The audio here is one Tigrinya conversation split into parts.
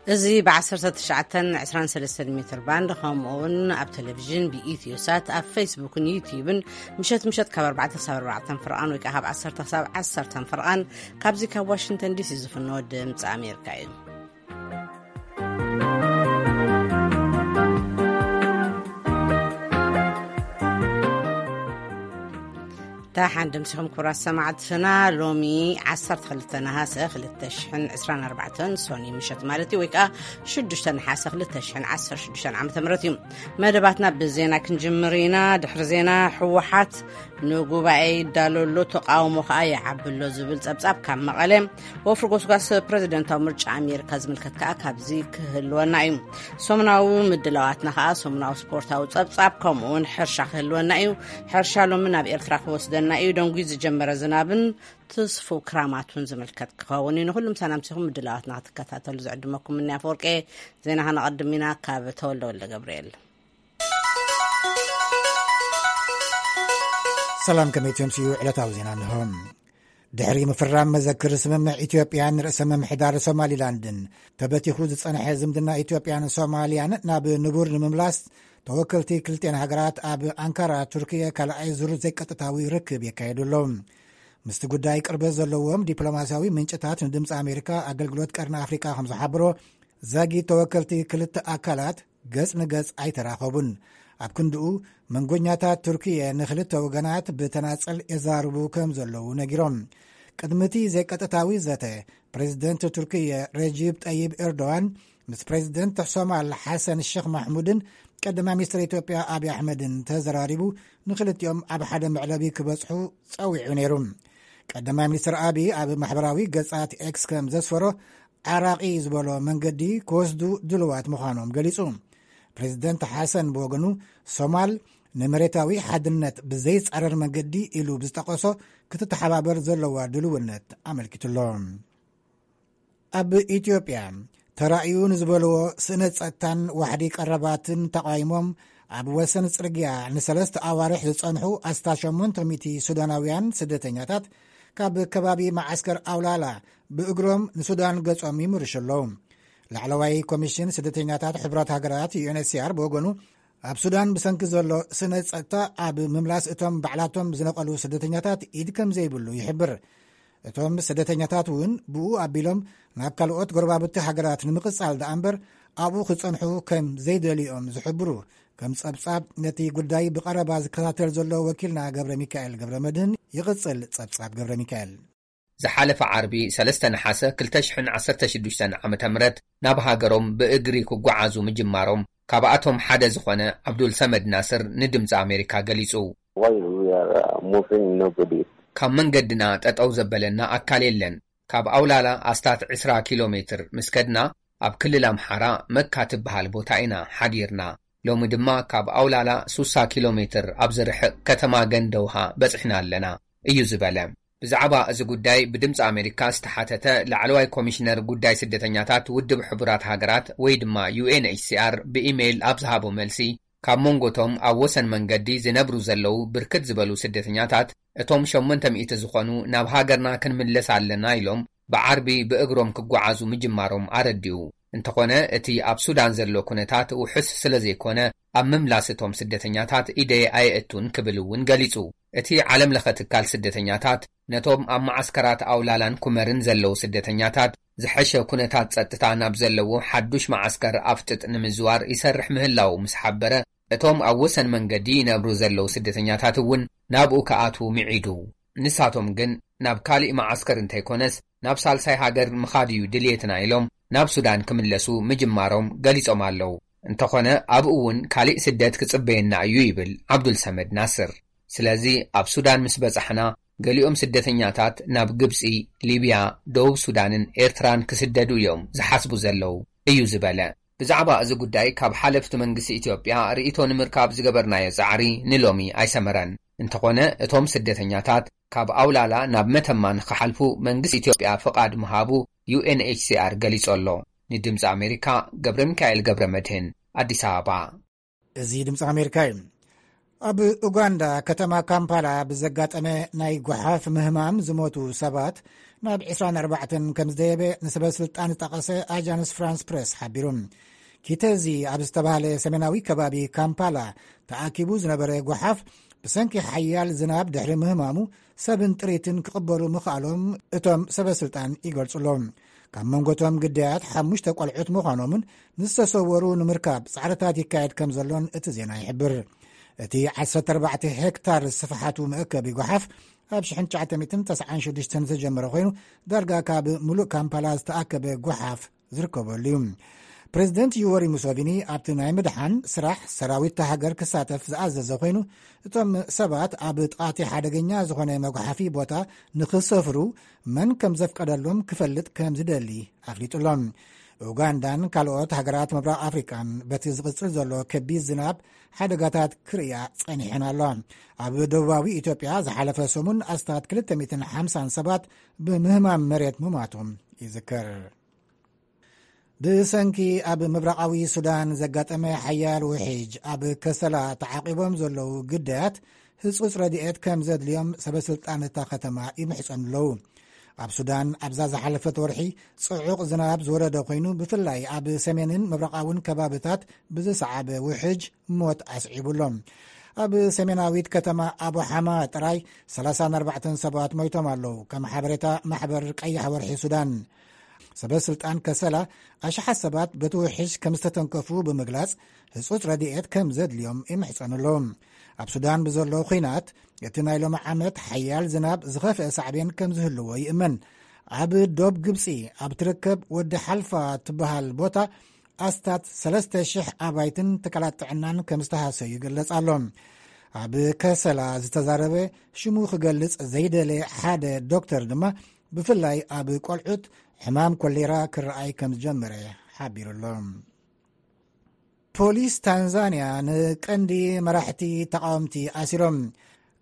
እዚ ብ19 23 ሜትር ባንድ፣ ከምኡ እውን ኣብ ቴሌቪዥን ብኢትዮ ሳት፣ ኣብ ፌስቡክን ዩቲዩብን፣ ምሸት ምሸት ካብ ኣርባዕተ ክሳብ ኣርባዕተ ፈርቓን ወይ ከዓ ካብ ዓሰርተ ክሳብ ዓሰርተ ፈርቓን፣ ካብዚ ካብ ዋሽንግተን ዲሲ ዝፍኖ ድምፂ ኣሜሪካ እዩ። ደሓን ደምሲኹም ክቡራት ሰማዕትና። ሎሚ ዓሰርተ ክልተ ነሃሰ ክልተ ሽሕን ዕስራን ኣርባዕተን፣ ሶኒ ምሸት ማለት እዩ፣ ወይ ከዓ ሽዱሽተ ነሓሰ ክልተ ሽሕን ዓሰርተ ሽዱሽተን ዓመተ ምህረት እዩ። መደባትና ብዜና ክንጅምር ኢና። ድሕሪ ዜና፣ ህወሓት ንጉባኤ ይዳሎ ኣሎ፣ ተቃውሞ ከዓ ይዓቢ ኣሎ ዝብል ጸብጻብ ካብ መቐለ፣ ወፍሪ ጎስጓስ ፕረዚደንታዊ ምርጫ ኣሜሪካ ዝምልከት ከዓ ካብዚ ክህልወና እዩ። ሰሙናዊ ምድላዋትና ከዓ ሰሙናዊ ስፖርታዊ ጸብጻብ፣ ከምኡ እውን ሕርሻ ክህልወና እዩ። ሕርሻ ሎሚ ናብ ኤርትራ ክወስደና እዩ። ደንጉዩ ዝጀመረ ዝናብን ትስፉው ክራማቱን ዝምልከት ክኸውን እዩ። ንኹሉም ሰላምሲኹም ምድላዋትና ክትከታተሉ ዝዕድመኩም ምንያ ኣፈወርቄ። ዜና ከነቐድም ኢና ካብ ተወልደ ወልደ ገብርኤል። ሰላም፣ ከመይ ትምስዩ? ዕለታዊ ዜና እንሆ። ድሕሪ ምፍራም መዘክር ስምምዕ ኢትዮጵያን ርእሰ ምምሕዳር ሶማሊላንድን፣ ተበቲኹ ዝጸንሐ ዝምድና ኢትዮጵያን ሶማልያን ናብ ንቡር ንምምላስ፣ ተወከልቲ ክልቲኣን ሃገራት ኣብ ኣንካራ ቱርክየ ካልኣይ ዙር ዘይቀጥታዊ ርክብ የካየዱ ኣለዉ። ምስቲ ጉዳይ ቅርበት ዘለዎም ዲፕሎማስያዊ ምንጭታት ንድምፂ ኣሜሪካ ኣገልግሎት ቀርኒ ኣፍሪቃ ከም ዝሓብሮ፣ ዛጊት ተወከልቲ ክልተ ኣካላት ገጽ ንገጽ ኣይተራኸቡን። ኣብ ክንድኡ፣ መንጎኛታት ቱርክየ ንክልተ ወገናት ብተናጸል የዛርቡ ከም ዘለዉ ነጊሮም። ቅድሚ እቲ ዘይቀጥታዊ ዘተ፣ ፕሬዚደንት ቱርክየ ረጂብ ጠይብ ኤርዶዋን ምስ ፕሬዚደንት ሶማል ሓሰን ሸኽ ማሕሙድን ቀዳማይ ሚኒስትር ኢትዮጵያ ኣብይ ኣሕመድን ተዘራሪቡ፣ ንክልቲኦም ኣብ ሓደ መዕለቢ ክበጽሑ ጸዊዑ ነይሩ። ቀዳማይ ሚኒስትር ኣብይ ኣብ ማሕበራዊ ገጻት ኤክስ ከም ዘስፈሮ፣ ዓራቒ ዝበሎ መንገዲ ክወስዱ ድሉዋት ምዃኖም ገሊጹ። ፕሬዚደንት ሓሰን ብወገኑ፣ ሶማል ንመሬታዊ ሓድነት ብዘይጻረር መንገዲ ኢሉ ብዝጠቐሶ ክትተሓባበር ዘለዋ ድልውነት ኣመልኪቱሎ። ኣብ ኢትዮጵያ ተራእዩ ንዝበልዎ ስእነት ጸጥታን ዋሕዲ ቀረባትን ተቓዊሞም ኣብ ወሰን ጽርግያ ንሰለስተ ኣዋርሕ ዝጸንሑ ኣስታት ሸሞንተ ሚእቲ ሱዳናውያን ስደተኛታት ካብ ከባቢ መዓስከር ኣውላላ ብእግሮም ንሱዳን ገጾም ይምርሹ ኣለዉ። ላዕለዋይ ኮሚሽን ስደተኛታት ሕቡራት ሃገራት፣ ዩ ኤን ኤች ሲ ኣር፣ ብወገኑ፣ ኣብ ሱዳን ብሰንኪ ዘሎ ስነ ጸጥታ ኣብ ምምላስ እቶም ባዕላቶም ዝነቐሉ ስደተኛታት ኢድ ከም ዘይብሉ ይሕብር። እቶም ስደተኛታት እውን ብኡ ኣቢሎም ናብ ካልኦት ጎረባብቲ ሃገራት ንምቕጻል ደኣ እምበር፣ ኣብኡ ክጸንሑ ከም ዘይደልዩ እዮም ዝሕብሩ። ከም ጸብጻብ ነቲ ጉዳይ ብቐረባ ዝከታተል ዘሎ ወኪልና ገብረ ሚካኤል ገብረ መድህን ይቕጽል። ጸብጻብ ገብረ ሚካኤል። ዝሓለፈ ዓርቢ ሰለስተ ነሓሰ ክልተ ሽሕን ዓሰርተ ሽዱሽተን ዓመተ ምህረት ናብ ሃገሮም ብእግሪ ክጓዓዙ ምጅማሮም ካብኣቶም ሓደ ዝኾነ ዓብዱል ሰመድ ናስር ንድምፂ ኣሜሪካ ገሊጹ። While we are, uh, moving, nobody ካብ መንገድና ጠጠው ዘበለና ኣካል የለን። ካብ ኣውላላ ኣስታት ዕስራ ኪሎ ሜትር ምስ ከድና፣ ኣብ ክልል ኣምሓራ መካ ትበሃል ቦታ ኢና ሓዲርና። ሎሚ ድማ ካብ ኣውላላ ሱሳ ኪሎ ሜትር ኣብ ዝርሕቕ ከተማ ገንደውሃ በጺሕና ኣለና፣ እዩ ዝበለ። ብዛዕባ እዚ ጉዳይ ብድምፂ ኣሜሪካ ዝተሓተተ ላዕለዋይ ኮሚሽነር ጉዳይ ስደተኛታት ውድብ ሕቡራት ሃገራት ወይ ድማ ዩ ኤን ኤች ሲ ኣር ብኢሜይል ኣብ ዝሃቦ መልሲ፣ ካብ መንጎቶም ኣብ ወሰን መንገዲ ዝነብሩ ዘለዉ ብርክት ዝበሉ ስደተኛታት፣ እቶም ሸሞንተ ሚእቲ ዝኾኑ ናብ ሃገርና ክንምለስ ኣለና ኢሎም ብዓርቢ ብእግሮም ክጓዓዙ ምጅማሮም ኣረዲኡ። እንተኾነ፣ እቲ ኣብ ሱዳን ዘሎ ኩነታት ውሑስ ስለ ዘይኮነ፣ ኣብ ምምላስ እቶም ስደተኛታት ኢደይ ኣየእቱን ክብል እውን ገሊጹ። እቲ ዓለም ለኸ ትካል ስደተኛታት፣ ነቶም ኣብ መዓስከራት ኣውላላን ኩመርን ዘለዉ ስደተኛታት፣ ዝሐሸ ኩነታት ጸጥታ ናብ ዘለዎ ሓዱሽ መዓስከር ኣፍጥጥ ንምዝዋር ይሰርሕ ምህላዉ ምስ ሓበረ፣ እቶም ኣብ ወሰን መንገዲ ይነብሩ ዘለዉ ስደተኛታት እውን ናብኡ ክኣትዉ ምዒዱ። ንሳቶም ግን ናብ ካሊእ መዓስከር እንተይኮነስ ናብ ሳልሳይ ሃገር ምኻድ እዩ ድልየትና ኢሎም ናብ ሱዳን ክምለሱ ምጅማሮም ገሊጾም ኣለዉ። እንተኾነ ኣብኡ እውን ካሊእ ስደት ክጽበየና እዩ ይብል ዓብዱል ሰመድ ናስር። ስለዚ ኣብ ሱዳን ምስ በጻሕና ገሊኦም ስደተኛታት ናብ ግብጺ፣ ሊብያ፣ ደቡብ ሱዳንን ኤርትራን ክስደዱ እዮም ዝሓስቡ ዘለዉ እዩ ዝበለ። ብዛዕባ እዚ ጉዳይ ካብ ሓለፍቲ መንግስቲ ኢትዮጵያ ርእይቶ ንምርካብ ዝገበርናዮ ጻዕሪ ንሎሚ ኣይሰመረን። እንተኾነ እቶም ስደተኛታት ካብ ኣውላላ ናብ መተማ ንክሓልፉ መንግስቲ ኢትዮጵያ ፍቓድ ምሃቡ ዩ ኤን ኤች ሲ ኣር ገሊጹ ኣሎ። ንድምፂ ኣሜሪካ ገብረ ሚካኤል ገብረ መድህን፣ ኣዲስ ኣበባ። እዚ ድምፂ ኣሜሪካ እዩ። ኣብ ኡጋንዳ ከተማ ካምፓላ ብዘጋጠመ ናይ ጓሓፍ ምህማም ዝሞቱ ሰባት ናብ ዕስራን ኣርባዕተን ከም ዝደየበ ንሰበ ስልጣን ዝጠቐሰ ኣጃንስ ፍራንስ ፕረስ ሓቢሩ። ኪተዚ ኣብ ዝተባህለ ሰሜናዊ ከባቢ ካምፓላ ተኣኪቡ ዝነበረ ጓሓፍ ብሰንኪ ሓያል ዝናብ ድሕሪ ምህማሙ ሰብን ጥሪትን ክቕበሉ ምኽኣሎም እቶም ሰበ ስልጣን ይገልጹ ኣለዉ። ካብ መንጎቶም ግዳያት ሓሙሽተ ቆልዑት ምዃኖምን ንዝተሰወሩ ንምርካብ ጻዕርታት ይካየድ ከም ዘሎን እቲ ዜና ይሕብር። እቲ ዓሰርተ ኣርባዕተ ሄክታር ስፍሓቱ መእከቢ ጓሓፍ ኣብ ሽሕን ትሽዓተ ሚእትን ተስዓን ሽዱሽተን ዝተጀመረ ኮይኑ፣ ዳርጋ ካብ ምሉእ ካምፓላ ዝተኣከበ ጓሓፍ ዝርከበሉ እዩ። ፕሬዚደንት ዩወሪ ሙሶቪኒ ኣብቲ ናይ ምድሓን ስራሕ ሰራዊት እታ ሃገር ክሳተፍ ዝኣዘዘ ኮይኑ፣ እቶም ሰባት ኣብ ጥቓቲ ሓደገኛ ዝኾነ መጉሓፊ ቦታ ንኽሰፍሩ መን ከም ዘፍቀደሎም ክፈልጥ ከም ዝደሊ ኣፍሊጡ ኣሎ። ኡጋንዳን ካልኦት ሃገራት ምብራቕ ኣፍሪቃን በቲ ዝቕጽል ዘሎ ከቢድ ዝናብ ሓደጋታት ክርእያ ጸኒሐን ኣለዋ። ኣብ ደቡባዊ ኢትዮጵያ ዝሓለፈ ሰሙን ኣስታት ክልተ ሚእትን ሓምሳን ሰባት ብምህማም መሬት ምማቶም ይዝከር። ብሰንኪ ኣብ ምብራቓዊ ሱዳን ዘጋጠመ ሓያል ውሕጅ ኣብ ከሰላ ተዓቂቦም ዘለዉ ግዳያት ህጹጽ ረድኤት ከም ዘድልዮም ሰበ ስልጣን እታ ከተማ ይምሕጸኑ ኣለዉ። ኣብ ሱዳን ኣብዛ ዝሓለፈት ወርሒ ጽዑቕ ዝናብ ዝወረደ ኮይኑ፣ ብፍላይ ኣብ ሰሜንን ምብራቓውን ከባብታት ብዝሰዓበ ውሕጅ ሞት ኣስዒቡ ኣሎ። ኣብ ሰሜናዊት ከተማ ኣቡ ሓማ ጥራይ ሰላሳን ኣርባዕተን ሰባት ሞይቶም ኣለዉ፣ ከም ሓበሬታ ማሕበር ቀይሕ ወርሒ ሱዳን። ሰበ ስልጣን ከሰላ ኣሽሓት ሰባት በቲ ውሕጅ ከም ዝተተንከፉ ብምግላጽ፣ ህጹጽ ረድኤት ከም ዘድልዮም ይምሕጸኑ ኣለዉ። ኣብ ሱዳን ብዘሎ ኲናት፣ እቲ ናይ ሎሚ ዓመት ሓያል ዝናብ ዝኸፍአ ሳዕቤን ከም ዝህልዎ ይእመን። ኣብ ዶብ ግብጺ ኣብ ትርከብ ወዲ ሓልፋ ትበሃል ቦታ ኣስታት ሰለስተ ሽሕ ኣባይትን ትካላት ጥዕናን ከም ዝተሃሰዩ ይግለጽ ኣሎ። ኣብ ከሰላ ዝተዛረበ ሽሙ ክገልጽ ዘይደለ ሓደ ዶክተር ድማ፣ ብፍላይ ኣብ ቆልዑት፣ ሕማም ኮሌራ ክረኣይ ከም ዝጀመረ ሓቢሩ ኣሎ። ፖሊስ ታንዛንያ ንቀንዲ መራሕቲ ተቃወምቲ ኣሲሮም።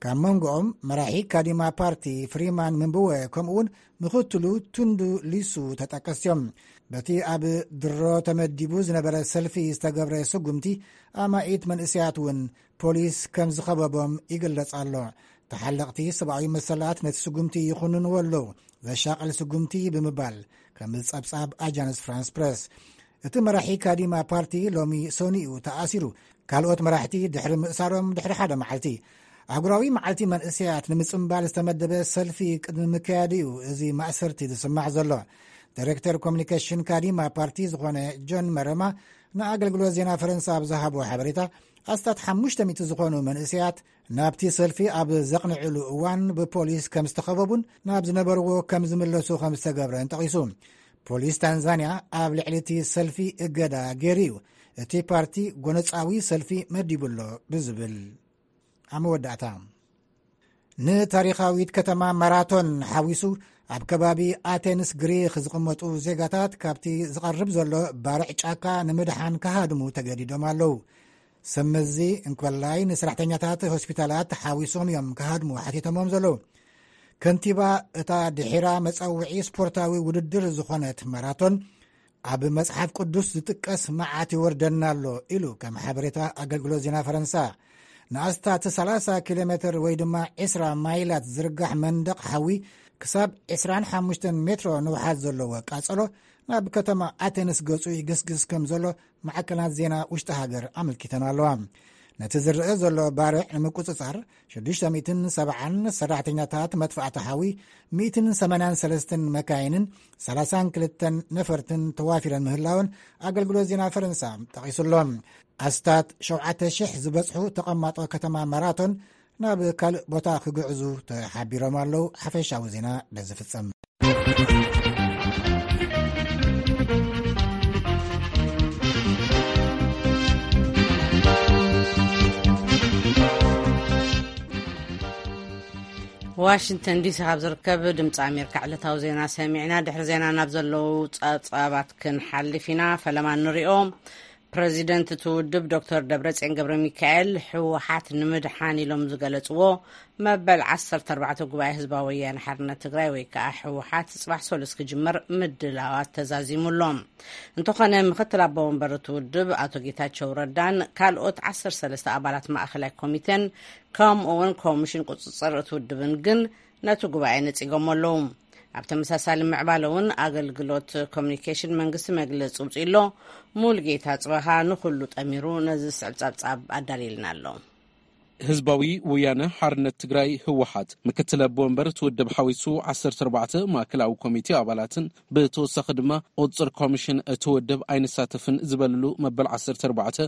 ካብ መንጎኦም መራሒ ካዲማ ፓርቲ ፍሪማን ምንብወ፣ ከምኡውን ምኽትሉ ቱንዱ ሊሱ ተጠቀስቲ እዮም። በቲ ኣብ ድሮ ተመዲቡ ዝነበረ ሰልፊ ዝተገብረ ስጉምቲ፣ ኣማኢት መንእሰያት እውን ፖሊስ ከም ዝኸበቦም ይግለጽ ኣሎ። ተሓለቕቲ ሰብኣዊ መሰላት ነቲ ስጉምቲ ይኹንንዎ ኣለዉ፣ ዘሻቕል ስጉምቲ ብምባል፣ ከም ጸብጻብ ኣጃንስ ፍራንስ ፕረስ። እቲ መራሒ ካዲማ ፓርቲ ሎሚ ሰኑይ እዩ ተኣሲሩ። ካልኦት መራሕቲ ድሕሪ ምእሳሮም ድሕሪ ሓደ መዓልቲ። ኣህጉራዊ መዓልቲ መንእሰያት ንምጽምባል ዝተመደበ ሰልፊ ቅድሚ ምክያዱ እዩ እዚ ማእሰርቲ ዝስማዕ ዘሎ። ዳይሬክተር ኮሚኒኬሽን ካዲማ ፓርቲ ዝኾነ ጆን መረማ ንኣገልግሎት ዜና ፈረንሳ ኣብ ዝሃቦ ሓበሬታ፣ ኣስታት ሓሙሽተ ሚእቲ ዝኾኑ መንእሰያት ናብቲ ሰልፊ ኣብ ዘቕንዕሉ እዋን ብፖሊስ ከም ዝተኸበቡን ናብ ዝነበርዎ ከም ዝምለሱ ከም ዝተገብረን ጠቒሱ። ፖሊስ ታንዛንያ ኣብ ልዕሊ እቲ ሰልፊ እገዳ ገይሩ እዩ፣ እቲ ፓርቲ ጎነጻዊ ሰልፊ መዲቡ ኣሎ ብዝብል። ኣብ መወዳእታ፣ ንታሪኻዊት ከተማ ማራቶን ሓዊሱ ኣብ ከባቢ ኣቴንስ ግሪክ ዝቕመጡ ዜጋታት ካብቲ ዝቐርብ ዘሎ ባርዕ ጫካ ንምድሓን ክሃድሙ ተገዲዶም ኣለዉ። ሰብ መዚ እንኮላይ ንሰራሕተኛታት ሆስፒታላት ሓዊሶም እዮም ክሃድሙ ሓቲቶሞም ዘለዉ። ከንቲባ እታ ድሒራ መጸውዒ ስፖርታዊ ውድድር ዝኾነት ማራቶን ኣብ መጽሓፍ ቅዱስ ዝጥቀስ መዓት ይወርደና ኣሎ ኢሉ፣ ከም ሓበሬታ ኣገልግሎት ዜና ፈረንሳ። ንኣስታት ሰላሳ ኪሎ ሜትር ወይ ድማ ዕስራ ማይላት ዝርጋሕ መንደቕ ሓዊ ክሳብ ዕስራን ሓሙሽተን ሜትሮ ንውሓት ዘለዎ ቃጸሎ ናብ ከተማ ኣቴንስ ገጹ ይግስግስ ከም ዘሎ ማዕከናት ዜና ውሽጢ ሃገር ኣመልኪተን ኣለዋ። ነቲ ዝረአ ዘሎ ባርዕ ንምቁጽጻር ሽዱሽተ ሚእትን ሰብዓን ሰራሕተኛታት መጥፋእቲ ሓዊ፣ ሚእትን ሰማንያን ሰለስተን መካይንን ሰላሳን ክልተን ነፈርትን ተዋፊረን ምህላወን ኣገልግሎት ዜና ፈረንሳ ጠቒሱ ኣሎ። ኣስታት ሸውዓተ ሽሕ ዝበጽሑ ተቐማጦ ከተማ ማራቶን ናብ ካልእ ቦታ ክግዕዙ ተሓቢሮም ኣለዉ። ሓፈሻዊ ዜና በዚ ፍጸም። ዋሽንግተን ዲሲ ካብ ዝርከብ ድምፂ ኣሜሪካ ዕለታዊ ዜና ሰሚዕና። ድሕሪ ዜና ናብ ዘለዉ ጸብጻባት ክንሓልፍ ኢና። ፈለማ ንሪኦ። ፕረዚደንት እቲ ውድብ ዶክተር ደብረጽዮን ገብረ ሚካኤል፣ ህወሓት ንምድሓን ኢሎም ዝገለጽዎ መበል ዓሰርተ ኣርባዕተ ጉባኤ ህዝባዊ ወያነ ሓርነት ትግራይ ወይ ከዓ ህወሓት ጽባሕ ሰሉስ ክጅመር ምድላዋት ተዛዚሙ ኣሎ። እንተኾነ ምክትል ኣቦ ወንበር እቲ ውድብ ኣቶ ጌታቸው ረዳን ካልኦት ዓሰርተ ሰለስተ ኣባላት ማእኸላይ ኮሚቴን ከምኡ እውን ኮሚሽን ቁፅፅር እቲ ውድብን ግን ነቲ ጉባኤ ነፂጎሞ ኣለዉ። ኣብ ተመሳሳሊ ምዕባለ እውን ኣገልግሎት ኮሚኒኬሽን መንግስቲ መግለጺ ውፅኡ ኣሎ። ሙሉጌታ ጽበሃ ንኹሉ ጠሚሩ ነዚ ዝስዕብ ጸብጻብ ኣዳልየልና ኣሎ። ህዝባዊ ወያነ ሓርነት ትግራይ ህወሓት ምክትል ኣቦ ወንበር እቲ ውድብ ሓዊሱ ዓሰርተ ኣርባዕተ ማእከላዊ ኮሚቴ ኣባላትን ብተወሳኺ ድማ ቁፅር ኮሚሽን እቲ ውድብ ኣይንሳተፍን ዝበልሉ መበል ዓሰርተ ኣርባዕተ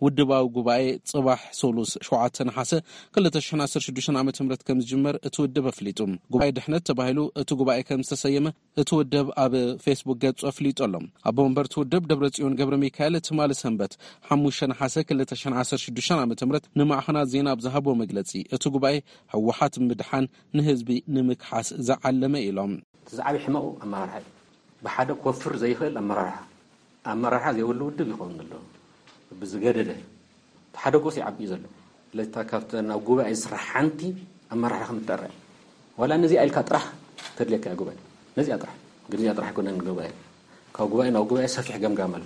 ውድባዊ ጉባኤ ጽባሕ ሶሉስ ሸውዓተ ነሓሰ ክልተ ሽሕን ዓሰርተ ሽዱሽተን ዓመተ ምህረት ከም ዝጅመር እቲ ውድብ ኣፍሊጡ። ጉባኤ ድሕነት ተባሂሉ እቲ ጉባኤ ከም ዝተሰየመ እቲ ውድብ ኣብ ፌስቡክ ገጹ ኣፍሊጡ ኣሎ። ኣቦ ወንበር እቲ ውድብ ደብረጽዮን ገብረ ሚካኤል ትማሊ ሰንበት ሓሙሽተ ነሓሰ ክልተ ሽሕን ዓሰርተ ሽዱሽተን ዓመተ ምህረት ንማዕኸናት ዜና ኣብ ዝሃቦ መግለጺ፣ እቲ ጉባኤ ህወሓት ምድሓን ንህዝቢ ንምክሓስ ዝዓለመ ኢሎም። እቲ ዝዓቢ ሕመቑ ኣመራርሓ እዩ። ብሓደ ክወፍር ዘይኽእል ኣመራርሓ፣ ኣመራርሓ ዘይብሉ ውድብ ይኸውን ዘሎ። ብዝገደደ እቲ ሓደ ጎስ ይዓቢ እዩ ዘሎ። ስለዚ እታ ካብተን ኣብ ጉባኤ ዝስራሕ ሓንቲ ኣመራርሓ ከም እትጥረ፣ ዋላ ነዚኣ ኢልካ ጥራሕ ተድልየካ እያ ጉባኤ። ነዚኣ ጥራሕ፣ ግን እዚኣ ጥራሕ ኣይኮነን ጉባኤ። ካብ ጉባኤ ናብ ጉባኤ ሰፊሕ ገምጋም ኣሎ።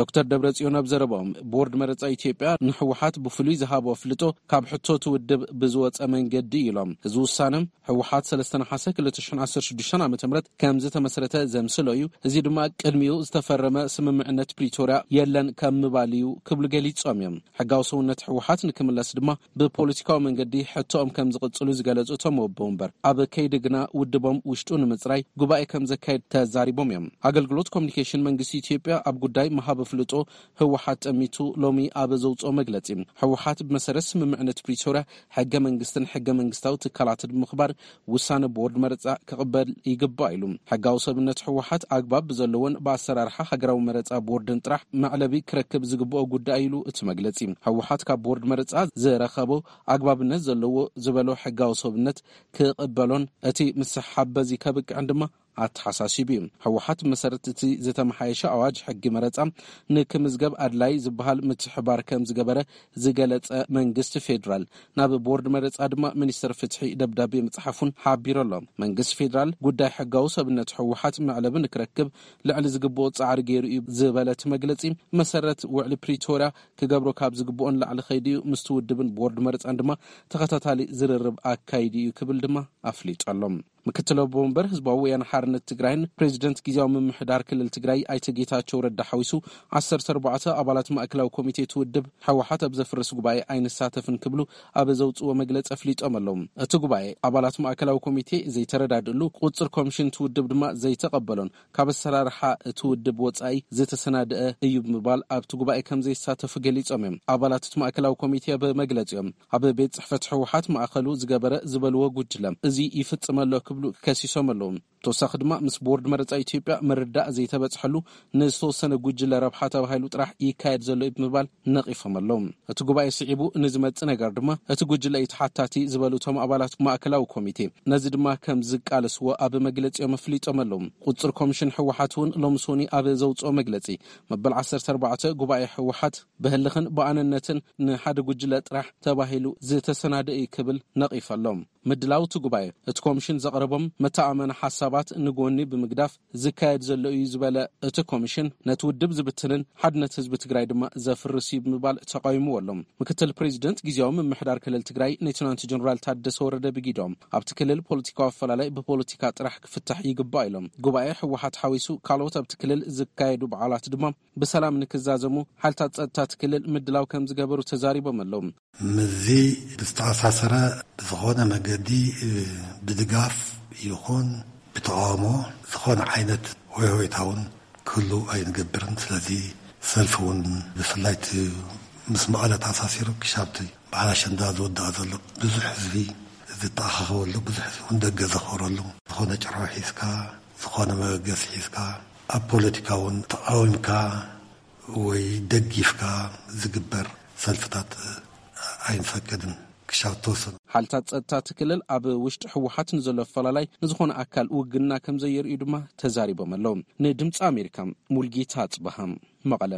ዶክተር ደብረጽዮን ኣብ ዘረባኦም፣ ቦርድ መረጻ ኢትዮጵያ ንህወሓት ብፍሉይ ዝሃቦ ኣፍልጦ ካብ ሕቶ እቲ ውድብ ብዝወጸ መንገዲ እዩ ኢሎም። እዚ ውሳነ ህወሓት ሰለስተ ነሓሰ ክልተ ሽሕን ዓሰርተ ሽዱሽተን ዓመተ ምህረት ከም ዝተመስረተ ዘምስሎ እዩ። እዚ ድማ ቅድሚኡ ዝተፈረመ ስምምዕነት ፕሪቶርያ የለን ከም ምባል እዩ ክብሉ ገሊጾም እዮም። ሕጋዊ ሰውነት ህወሓት ንክምለስ ድማ ብፖለቲካዊ መንገዲ ሕቶኦም ከም ዝቕጽሉ ዝገለጹ እቶም ኣቦ ወንበር፣ ኣብ ከይዲ ግና ውድቦም ውሽጡ ንምጽራይ ጉባኤ ከም ዘካየድ ተዛሪቦም እዮም። ኣገልግሎት ኮሚኒኬሽን መንግስቲ ኢትዮጵያ ኣብ ጉዳይ ምሃብ ኣፍልጦ ህወሓት ጠሚቱ ሎሚ ኣብ ዘውፅኦ መግለፂ፣ ህወሓት ብመሰረት ስምምዕነት ፕሪቶርያ ሕገ መንግስትን ሕገ መንግስታዊ ትካላትን ብምኽባር ውሳነ ቦርድ መረፃ ክቕበል ይግባእ ኢሉ። ሕጋዊ ሰብነት ህወሓት ኣግባብ ብዘለዎን ብኣሰራርሓ ሃገራዊ መረፃ ቦርድን ጥራሕ መዕለቢ ክረክብ ዝግብኦ ጉዳይ ኢሉ እቲ መግለፂ። ህወሓት ካብ ቦርድ መረፃ ዝረኸቦ ኣግባብነት ዘለዎ ዝበሎ ሕጋዊ ሰብነት ክቕበሎን እቲ ምስሓብ በዚ ከብቅዕን ድማ ኣተሓሳሲቡ እዩ። ህወሓት ብመሰረት እቲ ዝተመሓየሸ ኣዋጅ ሕጊ መረፃ ንክምዝገብ ኣድላይ ዝበሃል ምትሕባር ከም ዝገበረ ዝገለጸ መንግስቲ ፌዴራል፣ ናብ ቦርድ መረፃ ድማ ሚኒስትር ፍትሒ ደብዳቤ ምፅሓፉን ሓቢሩ ኣሎ። መንግስቲ ፌዴራል ጉዳይ ሕጋዊ ሰብነት ህወሓት መዕለቢ ንክረክብ ልዕሊ ዝግብኦ ጻዕሪ ገይሩ እዩ ዝበለ እቲ መግለፂ፣ መሰረት ውዕሊ ፕሪቶርያ ክገብሮ ካብ ዝግብኦ ንላዕሊ ከይዱ እዩ፣ ምስቲ ውድብን ቦርድ መረፃን ድማ ተኸታታሊ ዝርርብ ኣካይዱ እዩ ክብል ድማ ኣፍሊጡ ኣሎ። ምክትል ኣቦ ወንበር ህዝባዊ ወያነ ሓርነት ትግራይን ፕሬዚደንት ግዝያዊ ምምሕዳር ክልል ትግራይ ኣይተ ጌታቸው ረዳ ሓዊሱ ዓሰርተ ኣርባዕተ ኣባላት ማእከላዊ ኮሚቴ እቲ ውድብ ህወሓት ኣብ ዘፍርስ ጉባኤ ኣይንሳተፍን ክብሉ ኣብ ዘውፅዎ መግለፂ ኣፍሊጦም ኣለዉ። እቲ ጉባኤ ኣባላት ማእከላዊ ኮሚቴ ዘይተረዳድእሉ፣ ቁፅር ኮሚሽን እቲ ውድብ ድማ ዘይተቐበሎን ካብ ኣሰራርሓ እቲ ውድብ ወፃኢ ዝተሰናደአ እዩ ብምባል ኣብቲ ጉባኤ ከም ዘይሳተፉ ገሊፆም እዮም። ኣባላት እቲ ማእከላዊ ኮሚቴ ኣብ መግለፂኦም ኣብ ቤት ጽሕፈት ህወሓት ማእኸሉ ዝገበረ ዝበልዎ ጉጅለ እዚ ይፍጽም ኣሎ ክብሉ ከሲሶም ኣለዉ። ተወሳኺ ድማ ምስ ቦርድ መረጻ ኢትዮጵያ ምርዳእ ዘይተበጽሐሉ ንዝተወሰነ ጉጅለ ረብሓ ተባሂሉ ጥራሕ ይካየድ ዘሎ እዩ ብምባል ነቒፎም ኣለዉ። እቲ ጉባኤ ስዒቡ ንዝመጽእ ነገር ድማ እቲ ጉጅለ እዩ ተሓታቲ ዝበሉ እቶም ኣባላት ማእከላዊ ኮሚቴ ነዚ ድማ ከም ዝቃለስዎ ኣብ መግለጺኦም ኣፍሊጦም ኣለዉ። ቁጽር ኮሚሽን ህወሓት እውን ሎሚ ሶኒ ኣብ ዘውፅኦ መግለጺ መበል ዓሰርተ ኣርባዕተ ጉባኤ ህወሓት ብህልኽን ብኣነነትን ንሓደ ጉጅለ ጥራሕ ተባሂሉ ዝተሰናደ እዩ ክብል ነቒፉ ኣሎ። ምድላው እቲ ጉባኤ እቲ ኮሚሽን ዘቕረቦም መተኣመኒ ሓሳባት ንጎኒ ብምግዳፍ ዝካየድ ዘሎ እዩ ዝበለ እቲ ኮሚሽን ነቲ ውድብ ዝብትንን ሓድነት ህዝቢ ትግራይ ድማ ዘፍርስ እዩ ብምባል ተቃዊምዎ ኣሎ። ምክትል ፕሬዚደንት ግዝያዊ ምምሕዳር ክልል ትግራይ ሌተናንት ጀነራል ታደሰ ወረደ ብጊዶም ኣብቲ ክልል ፖለቲካዊ ኣፈላላይ ብፖለቲካ ጥራሕ ክፍታሕ ይግባእ ኢሎም። ጉባኤ ህወሓት ሓዊሱ ካልኦት ኣብቲ ክልል ዝካየዱ በዓላት ድማ ብሰላም ንክዛዘሙ ሓይልታት ጸጥታ እቲ ክልል ምድላው ከም ዝገበሩ ተዛሪቦም ኣለዉ። ምስዚ ብዝተኣሳሰረ ብዝኾነ መገዲ ብድጋፍ ይኹን ብተቃውሞ ዝኾነ ዓይነት ሆይሆይታ እውን ክህሉ ኣይንገብርን። ስለዚ ሰልፊ እውን ብፍላይ እቲ ምስ መቐለ ተኣሳሲሩ ክሻብቲ በዓል ኣሸንዳ ዝወድኣ ዘሎ ብዙሕ ህዝቢ ዝተኣኻኸበሉ፣ ብዙሕ ህዝቢ እውን ደገ ዘኽበረሉ፣ ዝኾነ ጭርሖ ሒዝካ፣ ዝኾነ መበገሲ ሒዝካ፣ ኣብ ፖለቲካ እውን ተቃዊምካ ወይ ደጊፍካ ዝግበር ሰልፍታት ኣይንፈቅድን። ክሻብ ተወሰነ ሓይልታት ጸጥታ እቲ ክልል ኣብ ውሽጢ ህወሓት ንዘሎ ኣፈላላይ ንዝኾነ ኣካል ውግና ከም ዘየርእዩ ድማ ተዛሪቦም ኣለዉ። ንድምፂ ኣሜሪካ ሙልጌታ ኣጽበሃ፣ መቐለ።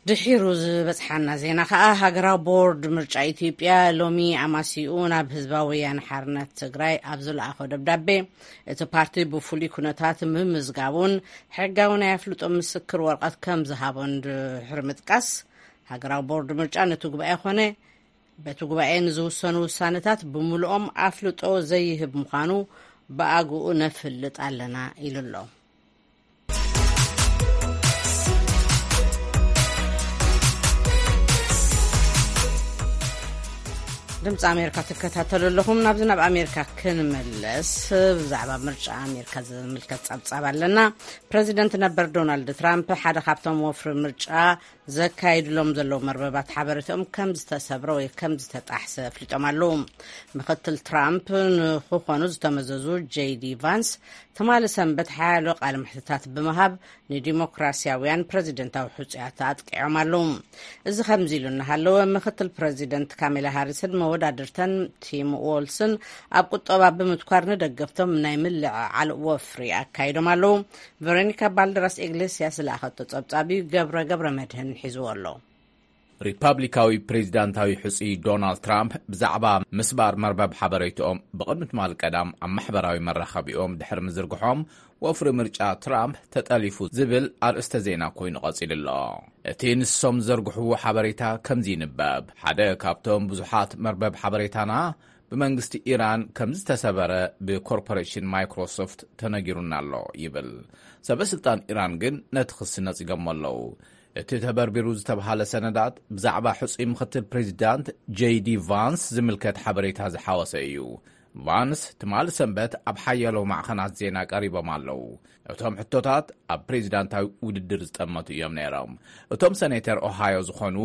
ድሒሩ ዝበጽሓና ዜና ከኣ፣ ሃገራዊ ቦርድ ምርጫ ኢትዮጵያ ሎሚ ኣማሲኡ ናብ ህዝባዊ ወያነ ሓርነት ትግራይ ኣብ ዝለኣኾ ደብዳቤ፣ እቲ ፓርቲ ብፍሉይ ኩነታት ምምዝጋቡን ሕጋዊ ናይ ኣፍልጦ ምስክር ወረቐት ከም ዝሃቦን ድሕሪ ምጥቃስ፣ ሃገራዊ ቦርድ ምርጫ ነቲ ጉባኤ ኮነ በቲ ጉባኤ ንዝውሰኑ ውሳነታት ብምሉኦም ኣፍልጦ ዘይህብ ምዃኑ ብኣግኡ ነፍልጥ ኣለና ኢሉ ኣሎ። ድምፂ ኣሜሪካ ትከታተሉ ኣለኹም። ናብዚ ናብ ኣሜሪካ ክንመለስ፣ ብዛዕባ ምርጫ ኣሜሪካ ዝምልከት ጸብጻብ ኣለና። ፕረዚደንት ነበር ዶናልድ ትራምፕ ሓደ ካብቶም ወፍሪ ምርጫ ዘካይድሎም ዘለዉ መርበባት ሓበሬታኦም ከም ዝተሰብረ ወይ ከም ዝተጣሕሰ ኣፍሊጦም ኣለዉ። ምክትል ትራምፕ ንክኾኑ ዝተመዘዙ ጄዲ ቫንስ ትማሊ ሰንበት ሓያሎ ቃለ መሕትታት ብምሃብ ንዲሞክራሲያውያን ፕረዚደንታዊ ሕጹያት ኣጥቂዖም ኣለዉ። እዚ ከምዚ ኢሉ እናሃለወ፣ ምክትል ፕረዚደንት ካሜላ ሃሪስን መወዳድርተን ቲም ዎልስን ኣብ ቁጠባ ብምትኳር ንደገፍቶም ናይ ምልዕዓል ወፍሪ ኣካይዶም ኣለዉ። ቨሮኒካ ባልደራስ ኢግሌስያስ ዝለኣኸቶ ጸብጻብ እዩ። ገብረ ገብረ መድህን ሒዝዎ ኣሎ። ሪፓብሊካዊ ፕሬዚዳንታዊ ሕጹይ ዶናልድ ትራምፕ ብዛዕባ ምስባር መርበብ ሓበሬታኦም ብቕድሚ ትማል ቀዳም ኣብ ማሕበራዊ መራኸቢኦም ድሕሪ ምዝርግሖም፣ ወፍሪ ምርጫ ትራምፕ ተጠሊፉ ዝብል ኣርእስተ ዜና ኮይኑ ቀጺሉ ኣሎ። እቲ ንሶም ዘርግሕዎ ሓበሬታ ከምዚ ይንበብ። ሓደ ካብቶም ብዙሓት መርበብ ሓበሬታና ብመንግስቲ ኢራን ከም ዝተሰበረ ብኮርፖሬሽን ማይክሮሶፍት ተነጊሩና ኣሎ ይብል። ሰበ ስልጣን ኢራን ግን ነቲ ክሲ ነጺጎሞ ኣለዉ። እቲ ተበርቢሩ ዝተብሃለ ሰነዳት ብዛዕባ ሕጹይ ምክትል ፕሬዚዳንት ጄዲ ቫንስ ዝምልከት ሓበሬታ ዝሓወሰ እዩ። ቫንስ ትማሊ ሰንበት ኣብ ሓያሎ ማዕኸናት ዜና ቀሪቦም ኣለዉ። እቶም ሕቶታት ኣብ ፕሬዚዳንታዊ ውድድር ዝጠመቱ እዮም ነይሮም። እቶም ሰኔተር ኦሃዮ ዝኾኑ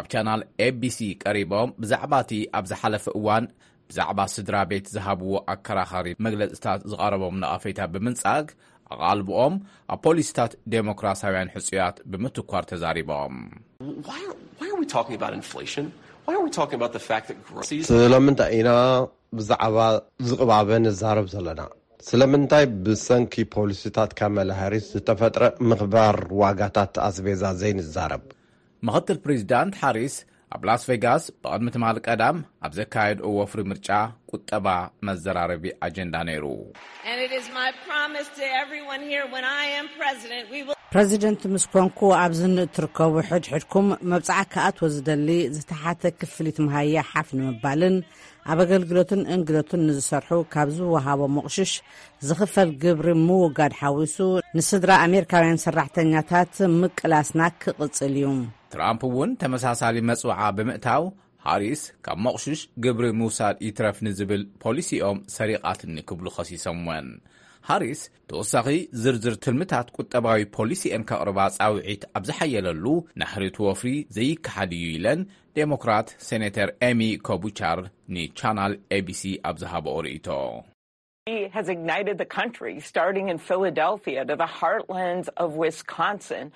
ኣብ ቻናል ኤቢሲ ቀሪቦም ብዛዕባ እቲ ኣብ ዝሓለፈ እዋን ብዛዕባ ስድራ ቤት ዝሃብዎ ኣከራኻሪ መግለጽታት ዝቐረቦም ነቐፌታ ብምንጻግ፣ ኣቓልብኦም ኣብ ፖሊሲታት ዴሞክራሲያውያን ሕጹያት ብምትኳር ተዛሪቦም። Why are, why are we talking about inflation? Why are we talking about the fact that groceries ስለምንታይ ኢና ብዛዕባ ዝቕባበ ንዛረብ ዘለና? ስለምንታይ ብሰንኪ ፖሊሲታት ካመላ ሃሪስ ዝተፈጥረ ምኽባር ዋጋታት ኣስቤዛ ዘይንዛረብ? ምኽትል ፕሬዚዳንት ሃሪስ ኣብ ላስ ቬጋስ ብቕድሚ ትማሊ ቀዳም ኣብ ዘካየድኦ ወፍሪ ምርጫ ቁጠባ መዘራረቢ ኣጀንዳ ነይሩ። And it is my promise to everyone here, when I am president, we will ፕረዚደንት ምስ ኮንኩ፣ ኣብዚ ንእትርከቡ ሕድሕድኩም መብጽዓ ክኣትዎ ዝደሊ ዝተሓተ ክፍሊት መሃያ ሓፍ ንምባልን ኣብ ኣገልግሎትን እንግዶትን ንዝሰርሑ ካብ ዝወሃቦ መቑሽሽ ዝኽፈል ግብሪ ምውጋድ ሓዊሱ ንስድራ ኣሜሪካውያን ሰራሕተኛታት ምቅላስና ክቕጽል እዩ። ትራምፕ እውን ተመሳሳሊ መጽውዓ ብምእታው፣ ሃሪስ ካብ መቑሽሽ ግብሪ ምውሳድ ይትረፍ ንዝብል ፖሊሲኦም ሰሪቓትኒ ክብሉ ከሲሶምወን። ሃሪስ ተወሳኺ ዝርዝር ትልምታት ቁጠባዊ ፖሊሲኤን ከቕርባ ጻውዒት ኣብ ዝሓየለሉ፣ ናህሪ እቲ ወፍሪ ዘይከሓድ እዩ ኢለን ዴሞክራት ሴኔተር ኤሚ ኮቡቻር ንቻናል ኤቢሲ ኣብ ዝሃበኦ ርእይቶ። He has ignited the country, starting in Philadelphia to the heartlands of Wisconsin.